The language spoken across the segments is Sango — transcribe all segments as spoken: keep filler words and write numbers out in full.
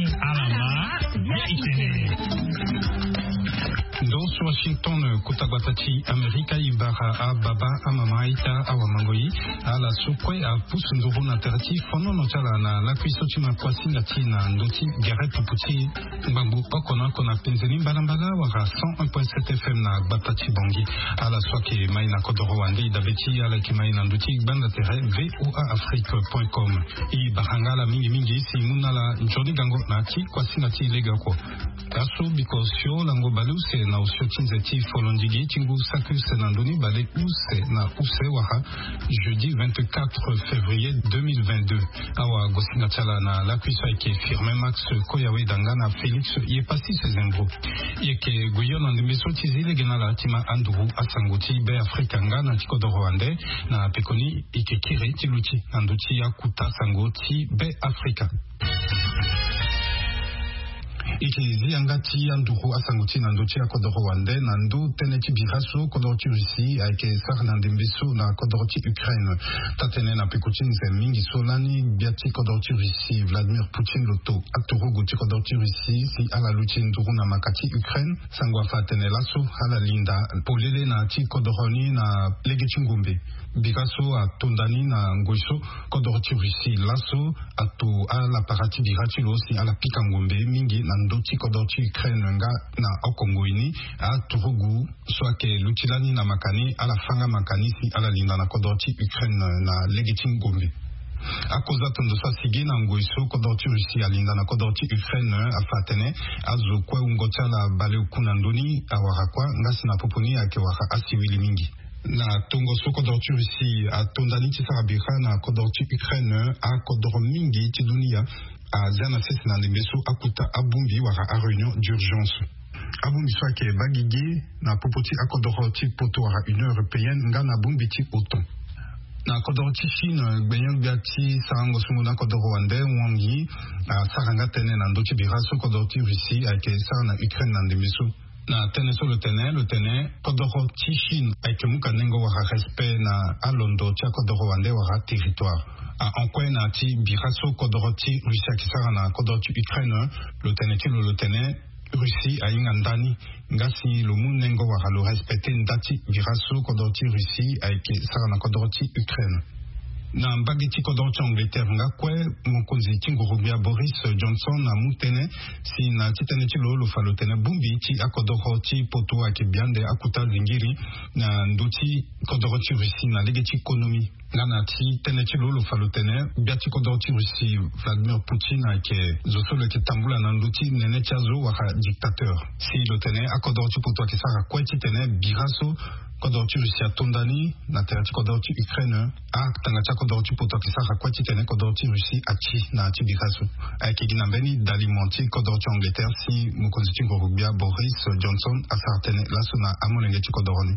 Alama ya itene. Ndo so Washington, kota gbata ti Amerika, e bara ababa, amama, aita, awamangoi, ala so kue apusu nduru na tere ti fonono ti ala na lakui so ti ma kuasinga ti na ndo ti gere pupu ti ngbangbo oko na oko na penze ni mbalambala wala cent un point sept F M na gbata ti Bangui. Ala so ayeke mai na kodoro wande, e dabe ti ala yeke mai na ndö ti gbanda tere V O A Afrique point com. E bara nga ala mingi mingi si e mu na ala nzoni gango na ya ti kuasinga ti legeoko. Laso biko osio lango baleuse na osio ti nze ti folondigi ti ngu saki use na ndö ni baleuse na use wala jeudi vingt-quatre février deux mille vingt-deux. Awagosinga ti ala na lakui so ayeke Firmin Max Koyawe Danga na Félix Yepassis Zembro. E yeke gue hio na ndembe so ti zi lege na ala ti ma anduru asango ti Be Afrika nga na ti kodoro wande. Na pekoni e yeke kiri ti luti na ndö ti akuta sango ti Be Afrika. E yeke zi yanga ti anduru asango ti na ndö ti akodoro wande na ndö tënë ti bira so kodoro ti Russie ayeke sara na ndembe so na kodoro ti Ukraine. Taa-tënë na peko ti nze mingi so lani gbia ti kodoro ti Russie Vladimir Poutine lo to aturugu ti kodoro ti Russie si ala luti nduru na maka ti Ukraine. Sango afa atene laso ala linda polele na ya ti kodoro ni na lege ti ngombe. Bira so atonda ni na ngoi so kodoro ti Russie laso ato alapara ti bira ti lo si ala pika ngombe mingi na ndö ti kodoro ti Ukraine nga na oko ngoi ni. Aturugu so ayeke luti lani na maka ni ala fâ nga maka ni si ala linda na kodoro ti Ukraine na lege ti ngombe. Akoza tondo so asigi na ngoi so kodoro ti Russie alinda na kodoro ti Ukraine afa atene azo kue wungo ti ala baleoku na ndö ni awara kua nga si na popo ni ayeke wara asiwili mingi. Na tongo so kodoro ti Russie atonda ni ti sara bira na kodoro ti Ukraine, akodoro mingi ti dunia azia na sese na ndembe so akuta abongbi wala aréunion d'urgence. Abongbi so ayeke baa gigi na popo ti akodoro ti poto wala Union européenne nga na bongbi ti OTAN. Na kodoro ti Chine, gbenyo-gbia ti sarango sungo na kodoro wande Wang Yi asara nga tënë na ndö ti bira so kodoro ti Russie ayeke sara na Ukraine na ndembe so. Na tënë so lo tene, lo tene kodoro ti Chine ayeke mu ka nengo wala respect na alondo ti akodoro wande wala territoire. Ahon kue na ya ti bira so kodoro ti Russie ayeke sara na kodoro ti Ukraine, lo tene ti lo, lo tene Russie ahinga ndani nga si lo mu nengo wala lo respecte nda ti bira so kodoro ti Russie ayeke sara na kodoro ti Ukraine. Na mbage ti kodoro ti Angleterre nga kue, mokonzi ti nguru-gbia Boris Johnson amu tënë si na ya ti tënë ti lo, lo fa lo tene bongbi ti akodoro ti poto ayeke bia ande akuta zingiri na ndö ti kodoro ti Russie na lege ti konomi. Nga na ya ti tënë ti lo, lo fa lo tene gbia ti kodoro ti Russie Vladimir Poutine ayeke zo so lo yeke tambula na ndö ti nene ti azo wala dictateur. Si lo tene akodoro ti poto ayeke sara kue titene bira so kodoro ti Russie atonda ni na tere ti kodoro ti Ukraine, atanga ti akodoro ti poto ayeke sara kue titene kodoro ti Russie ati na ya ti bira so. Ayeke gi na mbeni dalimo ti kodoro ti Angleterre si mokonzi ti nguru-gbia Boris Johnson asara tënë laso na amolenge ti kodoro ni.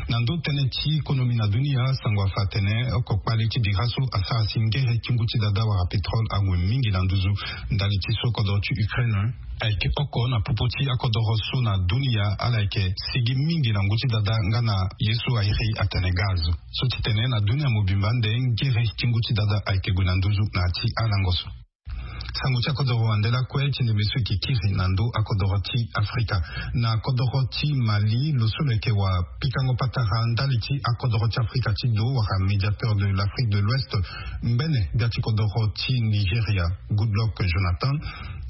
Na ndö tënë ti konomi na dunia, sango afa atene oko kpale ti bira so asara si ngere ti ngu ti dada wala pétrole ague mingi na nduzu ndali ti so kodoro ti Ukraine ayeke oko na popo ti akodoro so na dunia ala yeke sigi mingi na ngu ti dada nga na ye so a iri atene gaz. So ti tene na dunia mobimba nde ngere ti ngu ti dada ayeke gue na nduzu na ya ti alango so. Sango ti akodoro wande lakue ti ndembe so e yeke kiri na ndö akodoro ti Afrika. Na kodoro ti Mali, lo so lo yeke wa pikango patara ndali ti akodoro ti Afrika ti do wala médiateur de l'Afrique de l'Ouest, ngbene gbia ti kodoro ti Nigeria, Goodluck Jonathan,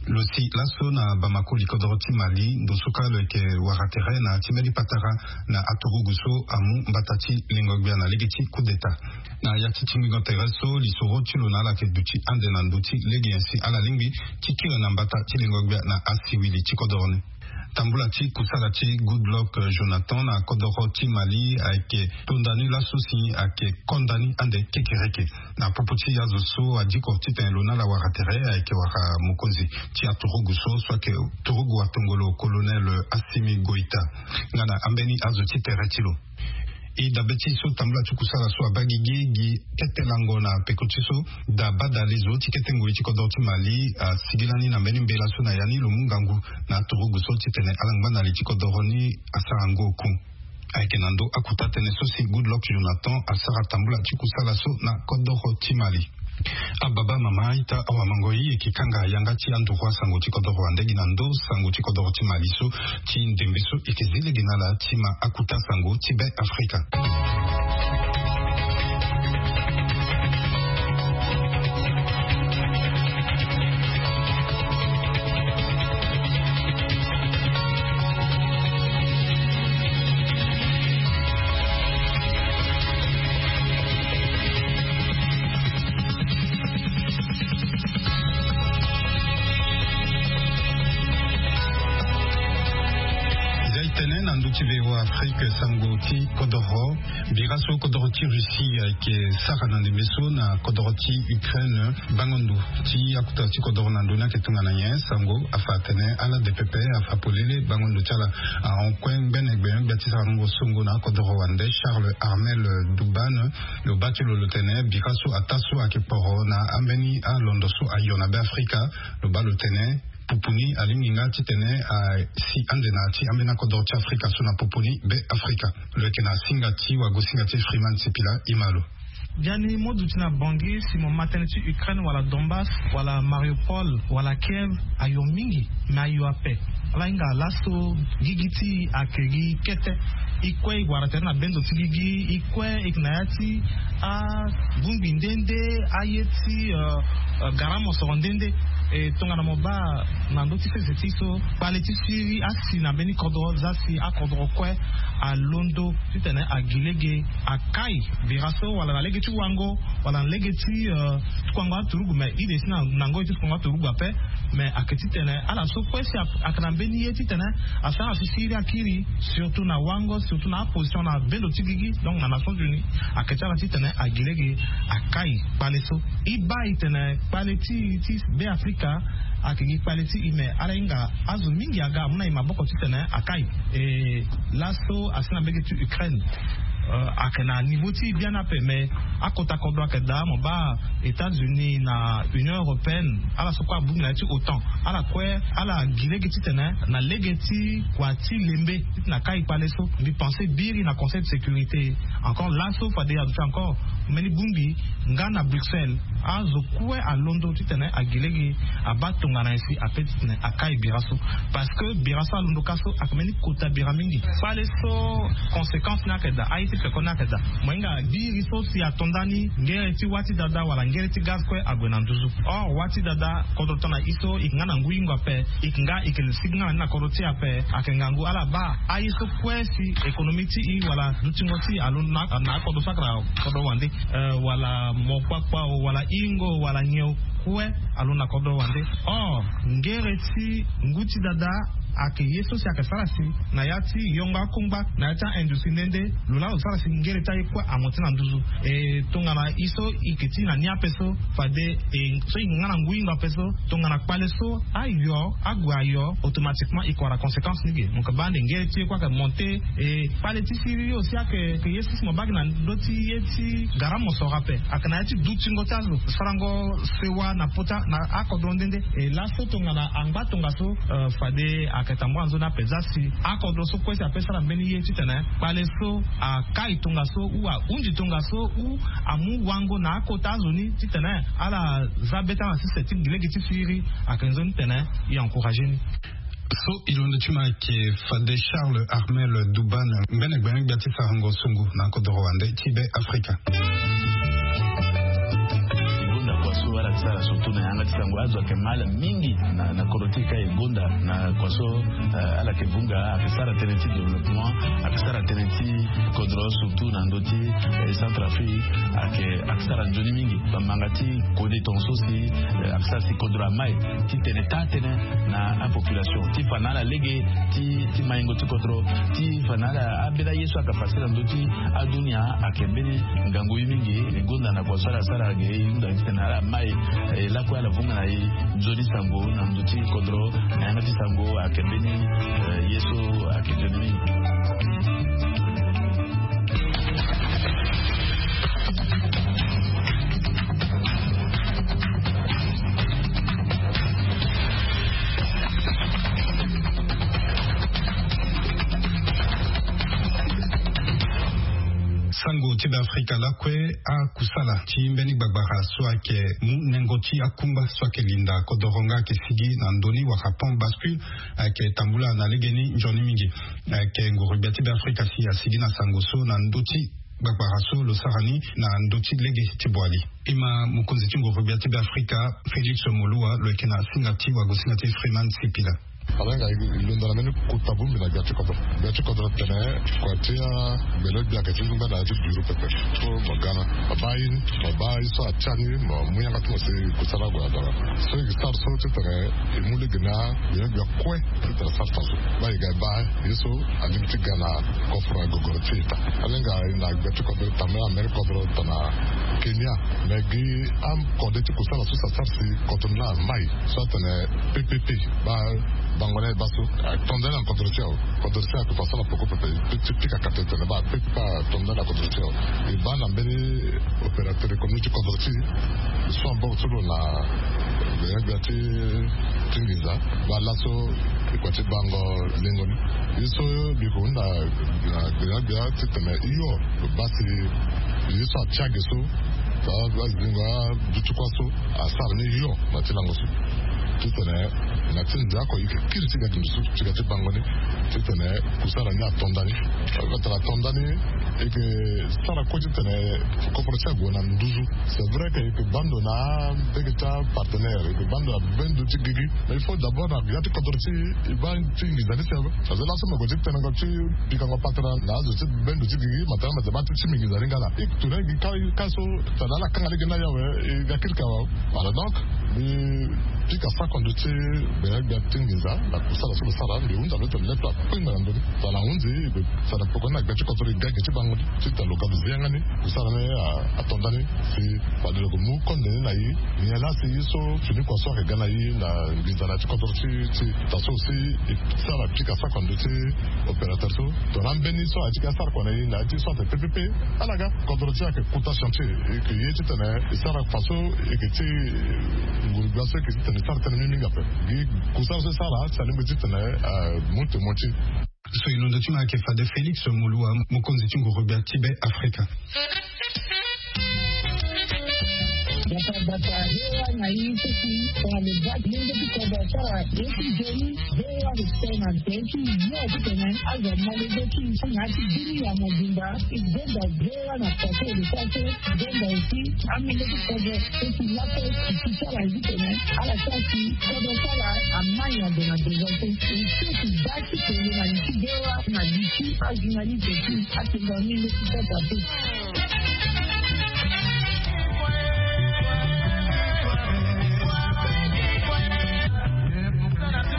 lo si laso na Bamako, li kodoro ti Mali, ndo so kâ lo yeke wara tere na ya ti mbeni patara na aturugu so amu mbata ti lengo-gbia na lege ti coup d'État. Na ya ti tingbingo tere so, lisoro ti lo na ala yeke duti ande na ndö ti lege nyen si ala lingbi ti kiri na mbata ti lengo-gbia na asiwili ti kodoro ni. Tambula ti kusala ti Goodluck Jonathan na kodoro ti Mali ayeke tonda ni laso si ayeke konda ni ande kekereke. Na popo ti azo so adiko titene lo na ala wara tere ayeke wara mokonzi ti aturugu so, so ayeke turugu atongolo colonel Assimi Goïta, nga na ambeni azo ti tere ti lo. E dabe ti so tambula ti kusala so abaa gigi gi kete lango na peko ti so, da badalezo ti kete ngoi ti kodoro ti Mali asigi lani na mbeni mbela so na ya ni lo mu ngangu na aturugu so titene ala ngba na li ti kodoro ni asara ngo oku. Ayeke na ndö akuta tënë so si Goodluck Jonathan asara tambula ti kusala so na kodoro ti Mali. Ababa mama ita awa mango i eke kanga yanga ti anduru asango ti kodoro wande gi na ndo sango ti kodoro ti mali so ti ndembe so eke zi lege na ala ti ma akuta sango ti be afrika. Zia e tene na ndö ti V O A Afrique sango ti kodoro. Bira so kodoro ti Russie ayeke sara na ndembe so na kodoro ti Ukraine. Bango ndo ti akuta ti kodoro na ndö ni ayeke tongana nyen? Sango afa atene ala de pepe afa polele. Bango ndo ti ala ahon kue ngbene gbe gbia ti sarango songo na akodoro wande Charles Armel Dubane. Lo baa ti lo lo tene bira so ataa so ayeke poro na ambeni alondo so ayo na be afrika. Lo baa lo tene pupu ni alingbi nga titene asi ande na ya ti ambeni akodoro ti afrika so na pupu ni be afrika. Lo yeke na singa ti wagosinga ti Freeman Sipila. Ima lo. Biani mo duti na Bangui si mo ma tënë ti Ukraine wala Donbass wala Mariupol wala Kiev, ayo mingi. Me ayo ape. Ala hinga laso gigi ti e ayeke gi kete. E kue e wara tere na bendo ti gigi. E kue e yeke na ya ti abongbi nde nde, aye ti gara mosoro nde nde. E tongana mo baa na ndö ti sese ti so kpale ti siri asi na mbeni kodro za si akodro kue alondo titene agi lege akai bira so wala na lege ti wango wala na lege ti tukuango aturugu. Me ide si na ngoi ti tukuango aturugu ape. Me ayeke titene ala so kue si ayeke na mbeni ye titene asara si siri akiri surtout na wango surtout na aposition na bendo ti gigi donc na nations unies. Ayeke ti ala titene agi lege akai kpale so. E baa e tene kpale ti e ti be afrika ayeke gi kpale ti e me ala hinga azo mingi aga amu na e maboko titene akai. E laso asi na mbege ti Ukraine ayeke na niveau ti e biani ape me akota kodro ayeke daa mo baa États-Unis na Union européenne ala so kue abongbi na ya ti otan. Ala kue ala gi lege titene na lege ti kua ti lembe titene akai kpale so. Mbi pense biri na conseil de sécurité encore laso fade aduti encore mbeni bongbi nga na Bruxelles azo kue alondo titene agi lege abaa tongana nyen si ape titene akai bira so. Parce que bira so alondo ka so ayeke mbeni kota bira mingi. Kpale so conséquence ni ayeke daa aye ti peko ni ayeke daa. Mo hinga biri so si ato ndani ngere ti wâ ti dada wala ngere ti gaz kue ague na nduzu. Or wâ ti dada kodro tongana e so e yeke nga na ngu hingo ape. E yeke nga e yeke sigi nga na ni na kodro ti e ape. Ayeke ngangu ala baa aye so kue si économie ti e wala dutingo ti e alondo na akodro so ayeke na kodro wande wala mokpakpa o wala hingo wala nyen o kue alondo na kodro wande. Or ngere ti ngu ti dada ayeke ye so si ayeke sara si na ya ti yongo akongba na ya ti aindustrie nde nde. Lo laa lo sara si ngere ti aye kue amonte na nduzu. E tongana e so e yeke ti na ni ape so fade e so e yeke nga na ngu hingo ape so tongana kpale so ayo ague ayo automatiquement e yeke wara conséquence ni ge. Mo yeke baa ande ngere ti ye kue ayeke monte. E kpale ti siri aussi ayeke ye so si mo baa gi na ndö ti ye ti gara mosoro ape ayeke na ya ti dutingo ti azo sarango sewa na pota na akodro nde nde. E laso tongana angba tongaso fade ayeke tambula nzoni ape za si akodro so kue si ape sara mbeni ye titene kpale so akai tongaso ou ahunzi tongaso ou amu wango na akota azo ni titene ala za be ti ala na sese ti gi lege ti siriri. Ayeke nzoni titene e encourage ni. So e londo ti ma ayeke fade Charles Armel Dubane mbene gbene gbia ti sarango songo na kodoro wande ti be afrika. E gonda kua so ala yeke sara surtout na yanga ti sango azo ayeke mal mingi na kodro ti e ka e gonda na kua so ala yeke vunga ayeke sara tënë ti développement ayeke sara tënë ti kodro surtout na ndö ti centre afrique ayeke ayeke sara nzoni mingi. Bamanga ti kode tonga so si ayeke sara si kodro amai titene taa tënë na apopulation ti fa na ala lege ti maingo ti kodro ti fa na ala ambeni aye so ayeke fasi na ndö ti adunia. Ayeke mbeni ngangu ye mingi e gonda na kua so ala sara ge e hunda titene ala mai e lakue ala vunga na e nzoni sango na ndö ti kodro na yanga ti sango ayeke mbeni ye so ayeke nzoni mingi. Sango ti Beafrika lakue. Akusala ti mbeni gbagbara so ayeke mu nengo ti akungba so ayeke linda kodoro nga ayeke sigi na ndö ni wala pont bascule ayeke tambula na legeni nzoni mingi. Ayeke nguru-gbia ti Beafrika si asigi na sango so na ndö ti gbagbara so lo sara ni na ndö ti lege ti Boali. E ma mokonzi ti nguru-gbia ti Beafrika, Félix Moloua, lo yeke na singa ti wagosinga ti Freeman Sipila. Ala hinga e londo na mbeni kota bongbi na gbia ti kodro. Gbia ti kodro tene kua ti agbele gbia ayeke ti ngba na ya ti biro pepe. So mo ga na mo baa ye ni, mo baa ye so atia ni, mo mu yanga ti mo si kusala ague na dara. So e ke sara so titene e mu lege na gbele gbia kue titene asara tongaso. Baa e ga e baa ye so alingbi ti ga na kofro na gogoro ti ita. Ala hinga e na gbia ti kodro tene na mbeni kodro tene na Kenya. Me gi akode ti kusala so si asara si kodro ni laa amai so atene P P P. Baa bango ni baa so ato ndani na kodro ti awe. Kodro ti awe ayeke fa so na poko pepe. Ti pika kate tene baa P P P ato ndani na kodro ti awe. E baa na mbeni opérateur économique ti kodro ti e so ambongo ti lo na gbia ti ti nginza. Baa laso e kua ti bango lengo ni. Ye so mbi ko hunda na gbia gbia titene hio lo baa si ye so atia ge so, azingo aduti kua so asara ni hio na ti lango so. Titene na ti nze oko e yeke kiri ti ga gi ndusu ti ga ti bango ni. Titene kusala ni ato ndani. Tara ato ndani e yeke sara kue titene koforo ti ague na nduzu. C'est vrai que e yeke baa ndo na mbege ti apartenaire, e yeke baa ndo na bendo ti gigi. Mais il faut d'abord na ya ti kodro ti e e baa ti nginza ni si awe. Parce que laso me gue ti tenengo ti pikango patara na azo ti bendo ti gigi matara mete baa ti ti mingi nginza ni nga na e tourner gi ka ka so. Tara ala kanga lege ni awe e ga kiri ka wa. Voilà, donc mbi pika sako ndo ti gbene gbia ti nginza na kusala so lo sara. Mbi hunzi alo tene le to akpengba na ndö ni. Tara hunzi e sara poko ni na gbia ti kodro e ga gi ti bango ni titene lo ga lo zi yanga ni. Kusala ni ato ndani si fade lo yeke mu konde ni na e. Nyen laa si ye so fini kua so ayeke ga na e na nginza na ya ti kodro ti ti ita so si e sara pika sako ndo ti opérateur so. Tongana ambeni so aye ti ke asara kua na e na ya ti so atene P P P. Ala ga kodro ti e ayeke kota chantier e yeke ye titene e sara faso e yeke ti nguru-gbia so e yeke titene e sara tënë mingi mingi ape. Gi kusala so e sara si alingbi titene amu temo ti e. So e londo ti ma ayeke fade Félix Moloua, mokonzi ti nguru-gbia ti Be Afrika. Bata bata V O A na ye so si tongana lo baa ti lenge ti kodro asara ye ti nzoni. V O A lo tene na nze ti yo titene azo amolenge ti na ya ti bini ya mobimba. E benda V O A na faso lo sara so. Benda aussi amolenge ti kodro so si laso e ti sara ye titene ala sara si kodro sara amai na ndo na ndo so. E so si baa ti tene na li ti V O A na li ti ajournaliste ti atene na ni le ti sara so.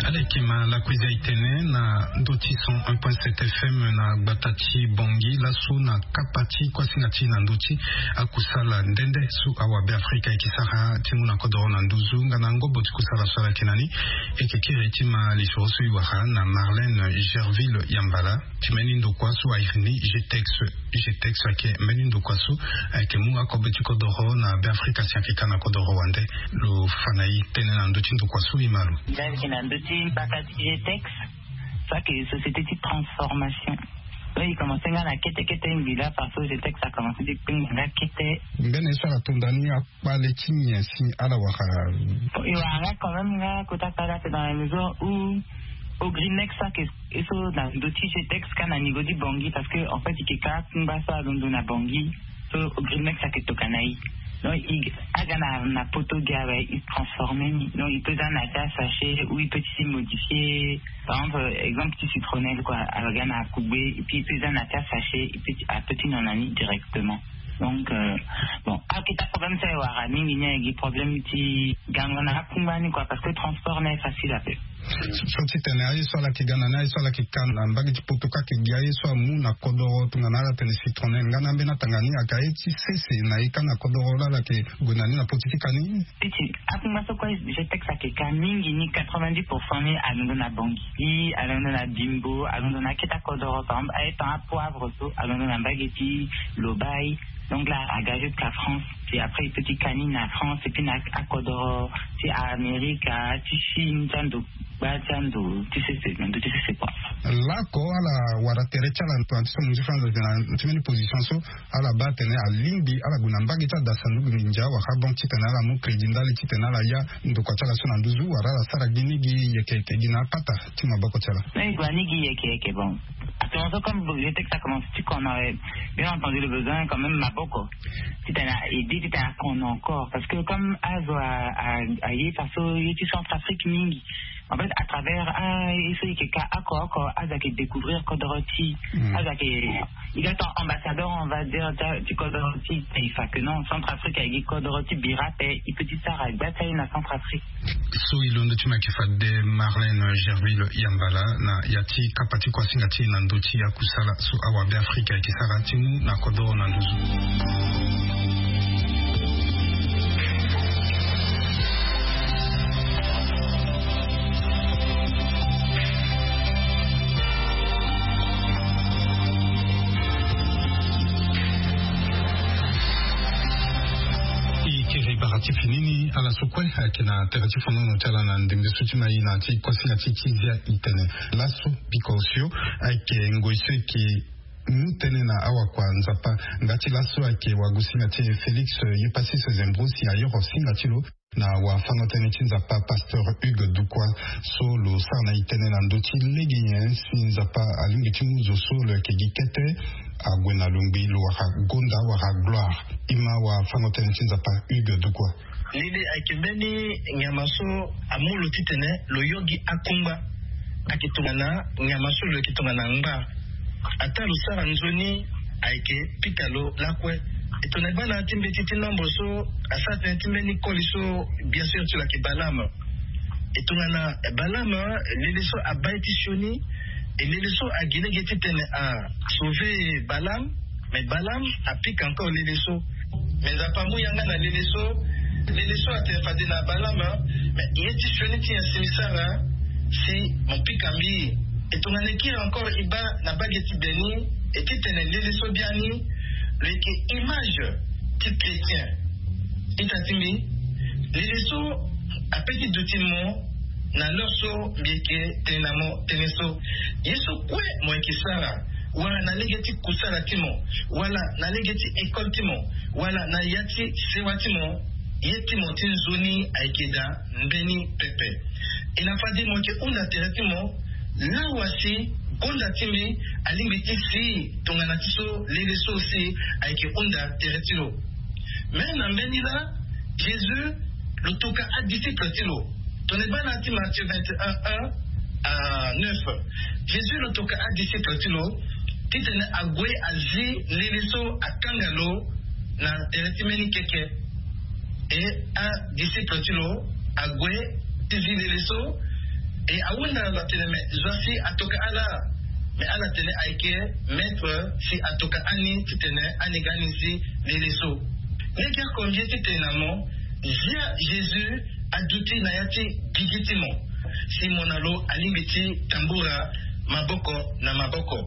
Ala yeke ma lakui zia e tene na ndö ti cent un point sept F M na gbata ti Bangui laso na kapa ti kuasinga ti e na ndö ti akusala nde nde so awabe Afrika e yeke sara ti mu na kodoro na nduzu nga na ngobo ti kusala so ala yeke na ni. E yeke kiri ti ma lisoro so e wara na Marlène Gerville Yambala. Ti mbeni ndokua so airi ni G T E X. G T E X ayeke mbeni ndokua so ayeke mu akobe ti kodoro na Be Afrika si ayeke ka na kodoro wande. Lo fa na e tënë na ndö ti ndokua so e ma lo. Nda ayeke na ndö ti mbaka ti G T E X. So ayeke société ti transformation. Donc e commencé nga na kete kete mbi laa parce que G T E X a commencé ti kpengba nga kete. Mbeni ye so ala tonda ni akpale ti nyen si ala wara? E wara nga quand même nga kota kpale ape dans la mesure où Ogrinex so ayeke e so na ndö ti G T E X ka na niveau ti Bangui parce que en fait e yeke ka akungba so alondo na Bangui. So Ogrinex ayeke tokua na e. Donc e aga na na poto gi awe e transformer ni. Donc e peut za na ya ti asachet ou e peut ti modifier. Par exemple exemple ti citronnelle quoi, aga na akugbe et puis e peut za na ya ti asachet e peut ti a peut ti nyon na ni directement. Donc euh, bon, akita problème so e wara mingi ni ayeke problème ti gango na akungba ni quoi parce que transport ni aye facile ape. So titene aye so ala yeke ga na ni aye so ala yeke ka na mbage ti poto ka ayeke gi aye so amu na kodoro tongana ala tene citronnelle nga na ambeni atanga ni ayeke aye ti sese na e ka na kodoro laa ala yeke gue na ni na poti ti ka ni. Ti ti akungba so kue G T E X ayeke ka mingi ni quatre-vingt-dix pour cent ni alondo na Bangui, alondo na Bimbo, alondo na akete akodoro par exemple aye tant apoivre so alondo na mbage ti Lobaye. Donc là aga jusqu'à France. Puis après e peut ti ka ni na France et puis na akodoro ti Amerika ti Chine ti ando. Gba ti ando ti sese na ndo ti sese kua. Lako ala wara tere ti ala na ti so mo nzi fana na ti mbeni position so ala baa atene alingbi ala gue na mbage ti adasa ndugu nginza wala banque titene ala mu crédit ndali titene ala ya ndokua ti ala so na nduzu wala ala sara gi ni gi yeke yeke gi na apata ti maboko ti ala. Mais e gue ni gi yeke yeke bon. Attention, comme vous voulez que ça commence, tu connais bien entendu le besoin quand même maboko. Titene a aide titene a kono encore parce que comme azo a a a ye faso ye ti Centrafrique mingi. En fait, à travers a ye so e ke ka oko oko azo ake découvrir kodoro ti azo ake, il est ambassadeur, on va dire, ti kodoro ti taifa que non, Centrafrique ayeke kodoro ti bira pe e pe ti sara gba ti aye na Centrafrique. So e londo ti ma ke fade Marlène Gerville Yambala na ya ti kapa ti kuasinga ti e na ndö ti akusala so awabe Afrika ayeke sara ti mu na kodoro na nduzu. E kiri bara ti fini ni ala so kue ayeke na tere ti fonono ti ala na ndembe so ti ma e na ti kuasinga ti ti zia e tene laso biko osio ayeke ngoi so e ke mu tënë na awakua Nzapa. Nga ti laso ayeke wagosinga ti e Félix Epasis Zembro si ayoro singa ti lo na wafango-tënë ti Nzapa pasteur Hugues Dukwa so lo sara na e tënë na ndö ti lege nyen si Nzapa alingbi ti mu zo so lo yeke gi kete ague na longbi lo wara gonda wala gloire. E ma wafango-tënë ti Nzapa Hugues Dukwa. Lili ayeke mbeni nyama so amu lo titene lo yo gi akungba. Ayeke tongana nyama so lo yeke tongana ngba. Ataa lo sara nzoni ayeke pika lo lakue. E tongana e baa na ya ti mbeti ti nombre so asara tënë ti mbeni koli so, bien sûr ti lo ayeke Balaam. E tongana Balaam lele so abaa ye ti sioni. E lele so agi lege titene a sauver Balaam. Mais Balaam apika encore lele so. Mais Nzapa amu yanga na lele so. Lele so atene fade na Balaam, mais ye ti sioni ti nyen si mi sara si mo pika mbi? E tongana e kiri encore e baa na mbage ti Beni, e titene lele so biani lo yeke image ti chrétien. Ita ti mbi, lele so ape ti duti mo na l'heure so mbi yeke tene na mo tënë so. Ye so kue mo yeke sara, wala na lege ti kusala ti mo, wala na lege ti école ti mo, wala na ya ti sewa ti mo, ye ti mo ti nzoni ayeke daa mbeni pepe. E na fade mo yeke hunda tere ti mo, lawa si gonda ti mbi alingbi ti si tongana ti so lele so si ayeke hunda tere ti lo. Me na mbeni laa, Jésus lo toka adisciple ti lo. Tongana e baa na ya ti Matthieu vingt et un, un à neuf, Jésus lo toka adisciple ti lo titene ague azi lele so akanga lo na tere ti mbeni keke. E adisciple ti lo ague ti zi lele so. E ahunda lo atene, mais zo asi atoka ala? Mais ala tene ayeke, maître, si atoka ani titene ani ga ani zi lele so. Lege oko mbi ye ti tene na mo, zia Jésus aduti na ya ti gigi ti mo si mo na lo alingbi ti tambura maboko na maboko.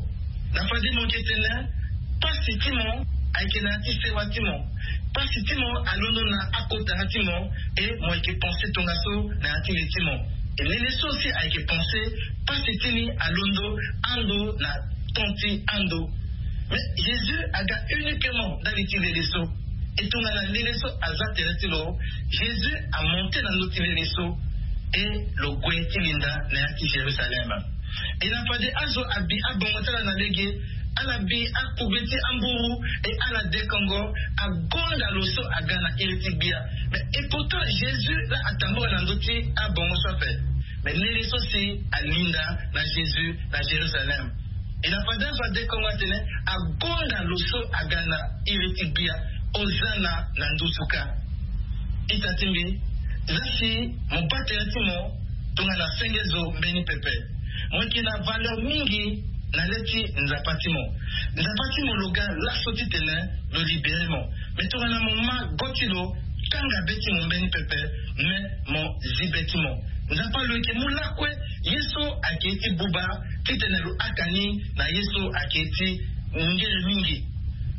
Na fade mo yeke tene pasi ti mo ayeke na ya ti sewa ti mo. Pasi ti mo alondo na akotara ti mo. E mo yeke pense tongaso na ya ti le ti mo. E lele so si ayeke pense, pasi ti ni alondo ando na temps ti ando. Mais Jésus aga uniquement ndali ti lele so. E tongana lele so aza tere ti lo, Jésus amonte na ndö ti lele so. E lo gue ti linda na ya ti Jérusalem. E na fade azo abi abongo ti ala na lege, ala bi akugbe ti amburu, e ala dekongo, agonda lo so aga na iri ti gbia. Mais e pourtant Jésus laa atambula na ndö ti abongo so ape. Mais lele so si alinda na Jésus na Jérusalem. E na fade azo adekongo atene, agonda lo so aga na iri ti gbia, Hosanna na nduzu kâ. Ita ti mbi, za si mo baa tere ti mo tongana senge zo mbeni pepe. Mo yeke na valeur mingi na le ti Nzapa ti mo. Nzapa ti mo lo ga laso titene lo libéré mo. Mais tongana mo ma go ti lo, kanga be ti mo mbeni pepe, me mo zi be ti mo. Nzapa lo yeke mu lakue ye so ayeke ye ti buba titene lo haka ni na ye so ayeke ye ti ngere mingi.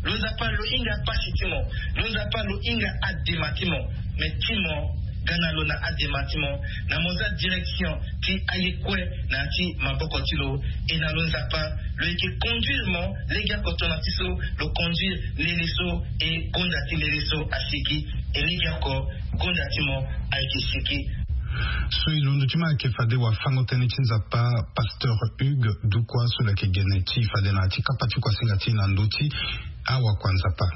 Lo Nzapa lo hinga pasi ti mo. Lo Nzapa lo hinga adema ti mo. Me ti mo Ga na lo na adema ti mo na mo za direction ti aye kue na ya ti maboko ti lo. E na lo Nzapa, lo yeke conduire mo legeoko tongana ti so lo conduire lele so e gonda ti lele so asiki. E legeoko gonda ti mo ayeke siki. So e londo ti mo ayeke fade wafango-tënë ti Nzapa, Pasteur Hugues Dukwa so lo yeke gene ti fade na ya ti kapa ti kuasinga ti na ndö ti awakua Nzapa.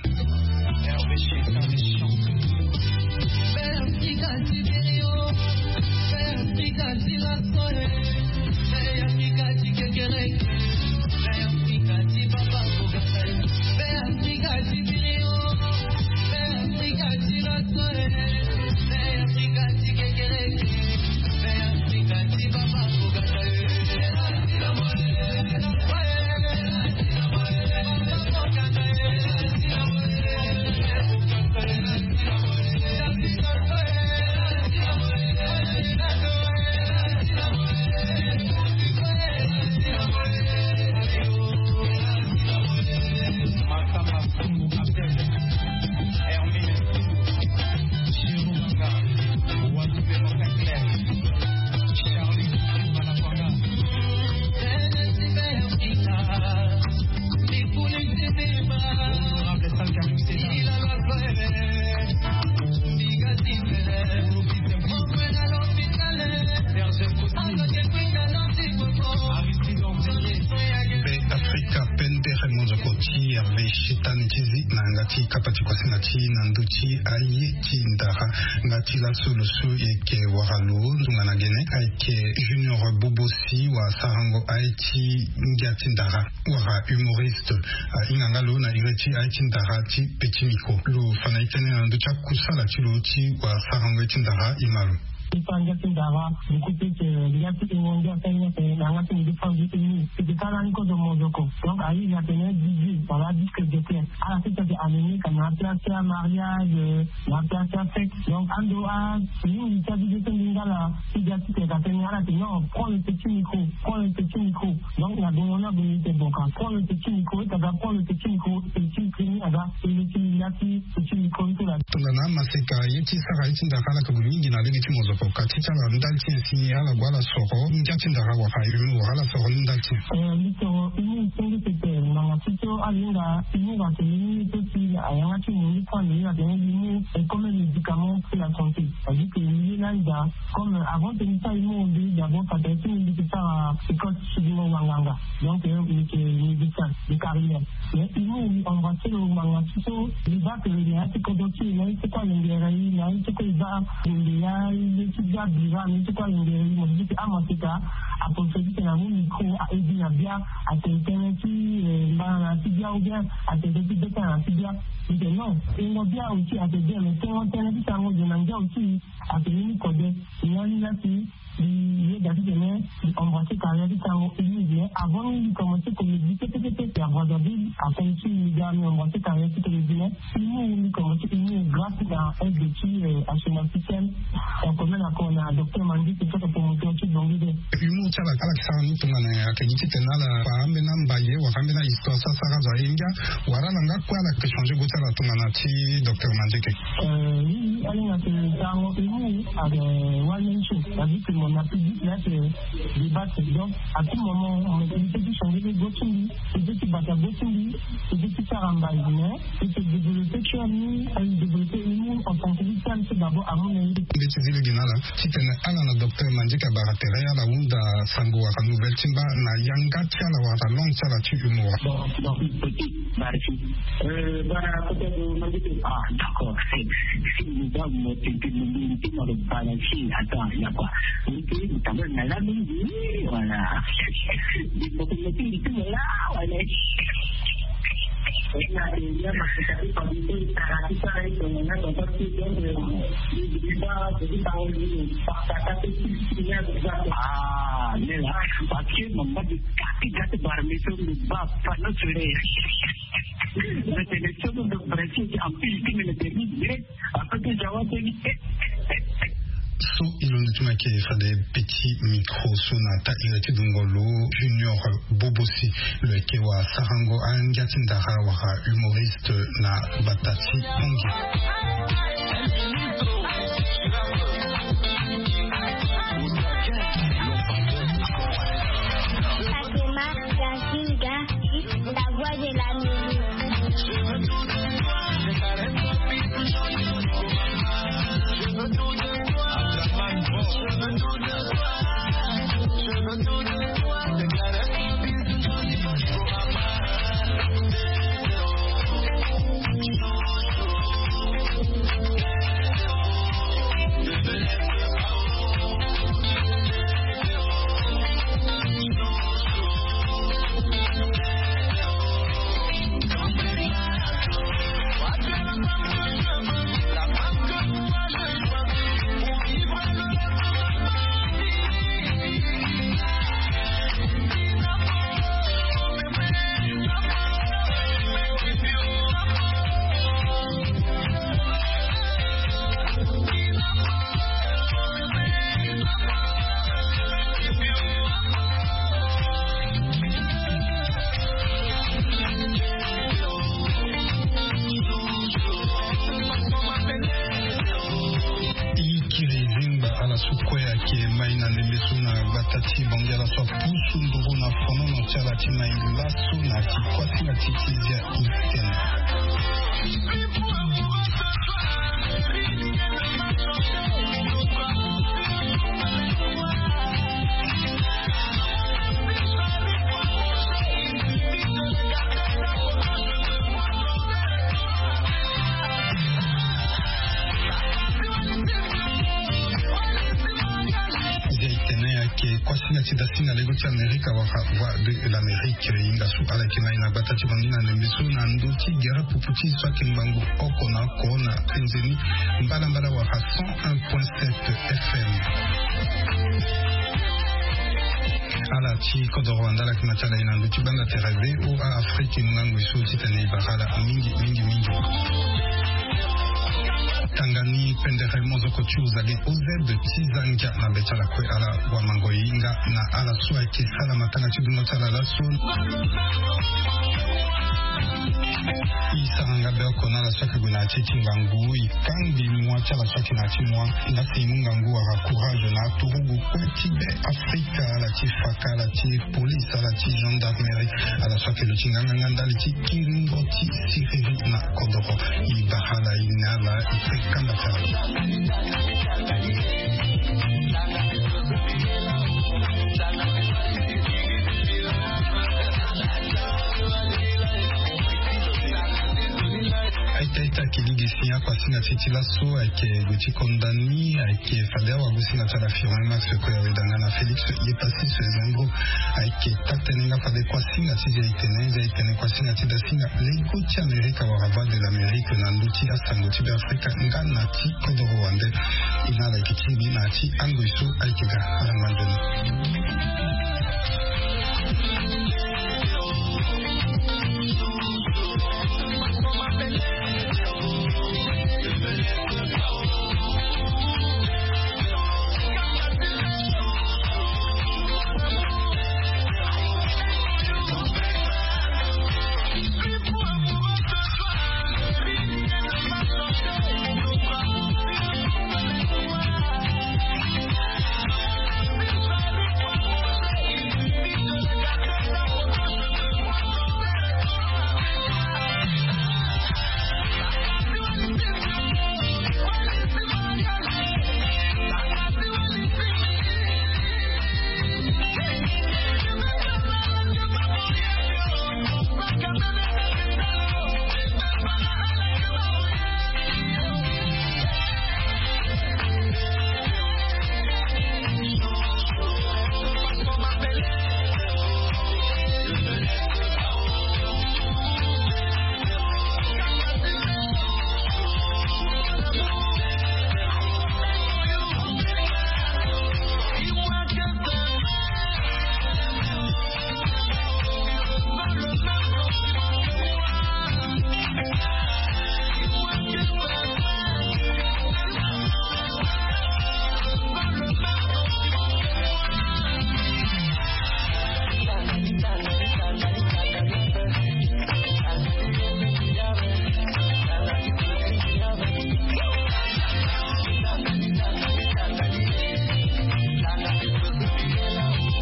Be Afrika pendere mozoko ti Hervé Shetani ti zi na yanga ti kapa ti kuasinga ti na ndö ti aye ti ndara. Nga ti laso lo so yeke wara lo tongana gene ayeke Junior Bobosi, wa sarango aye ti ngia ti ndara, wala humoriste. Ahinga nga lo na iri ti aye ti ndara ti Petit Micro. Lo fa na e tënë na ndö ti akusala ti lo ti wa sarango aye ti ndara, e ma lo. Ti fa ngia ti ndara, du coup ti yeke ngia ti ingo ngia ti ngia ti na yanga ti ngia ti fa ngia ti ngia ti sara ni kozo mozoko. Donc ayizi atene D J wala disque jockey. Ala ti teke amené ka na place ti amariage, na place ti afête. Donc ando a mingi ti abize ti lingala ti ga ti teke atene ala ti non, prends le petit micro, prends le petit micro. Donc na bongo na bongo ti boka prends le petit micro, ti aga prends le petit micro, petit micro ni aga e le ti lingala ti petit micro ni ti la. Tongana maseka ye ti sara ye ti ndara ala ka gue mingi na lege ti mozoko ka ti ti ala ndali ti nyen si ala gue ala soro ngia ti ndara wala humour wala ala soro ni ndali ti nyen. Eh, mbi soro humour ti ngia ti tene ngbanga ti so ala hinga humour atene ni so si ayanga ti mo ni so ande ni atene humour est comme un médicament pour la santé. C'est-à-dire que mbi ye lani daa, comme avant ti mbi sara humour mbi d'abord fa tene ti mbi mbi yeke sara école ti sudimo wanganga. Donc eh, mbi yeke médecin de carrière. Mais humour mbi embrasser lo ngbanga ti so mbi baa tene na ya ti kodro ti e na ye ti kue alingere e na ye ti kue e baa nde ya ye ti bia bira na ye ti kue alingere e mo ti ti amaseka. Aproche ti tene amu micro a-aide na bia, atene tënë ti eh mbana na ya ti bia ou bien atene tënë ti beta na ya ti bia. Mbi tene non, tengo bia aussi atene bien, mais tengo tënë ti sango zo na ngia aussi atene ni kode. Ni lani la si mbi yeda titene mbi embrasser carrière ti sango humour, mais avant ni mbi commencer comédie kete kete, c'est à Brazzaville, après ti mbi ga mbi embrasser carrière ti comédie, mais humour mbi commencer humour grâce na aide ti eh assurance sociale en commun accord na docteur Mangi, c'est ça promoteur ti Bongi de. Humour ti ala ala yeke sara ni tongana ayeke gi titene ala fa ambeni ambaye wala ambeni ahistoire so asara azo aye ngia, wala ala nga kue ala yeke changer go ti ala tongana ti docteur Mangi ke. Euh, oui, oui, ala hinga tene sango humour ayeke one man show. C'est-à-dire que mo na public la yeke débattre. Donc à tout moment mo yeke changer go ti mbi, mo yeke bata go ti mbi, mo yeke sara mbai, mais mo yeke développer cœur ni, mo yeke développer humour en tant que victime, c'est d'abord amu na ye. Mbi ti zi lege na ala titene ala na docteur Mangi ka bara tere ala hunda sango wala nouvelle ti mba na yanga ti ala wala langue ti ala ti humour. Bon, bon, petit, merci. Euh, bara peut-être Mangi ke, ah, d'accord, c'est, c'est une bonne motivation, une bonne motivation, voilà. Voilà. Ah, lela, parce que mama de kati gati barmi so mi ba fano sure. Mais c'est le seul de Brésil qui empile qui me le permet de Après que Jawa teni. So e londo ti mo ayeke fade petit micro so na ta iri ti dungo lo Junior Bobosi, lo yeke wa sarango angia ti ndara wala humoriste na bata ti Pongi. Ke mai na ndembe so na gbata ti Bangui ala so apusu nduru na fonono ti ala ti mai laso na ti kuasinga ti ti zia itene. Zia itene ayeke kuasinga ti dasinga lego ti Amerika wala Voix de l'Amérique. Hinga so ala yeke mai na gbata ti Bangui na ndembe so na ndö ti gere pupu ti so ayeke ngbangbo oko na oko na penze ni mbalambala wala cent un point sept F M. Ala ti kodoro wande ala yeke ma ti ala ye na ndö ti banda tere V O A Afrique, e mu ngangu e so titene e bara ala mingi mingi mingi. Tanga ni pendere mozoko ti Ouzage O Z ti Zangia na be ti ala kue ala wamango e hinga na ala so ayeke sala matanga ti dungo ti ala laso. E sara nga be oko na ala so ayeke gue na ya ti ti ngangu, e kangbi mua ti ala so ayeke na ya ti mua. Nga si e mu ngangu wala courage na aturugu kue ti be Afrika, ala ti faka, ala ti police, ala ti gendarmerie, ala so ayeke lo ti nganganga ndali ti kiringo ti siriri na kodoro. E bara ala, e ne ala, e kpe kamba ti ala. Aita aita, kiligi si akuasinga ti ti laso ayeke gue ti konda ni, ayeke fade awagusinga ti ala Firmin Max Koyaweda nga na Félix Yepassis Zengro. Ayeke taa-tënë nga fade kuasinga ti zia itene, zia itene kuasinga ti dasinga lego ti Amerika wala Voix de l'Amérique na ndö ti asango ti Beafrika nga na ti kodoro wande. E na ala yeke tingbi na ya ti angoi so ayeke ga. Ala ngba nzoni.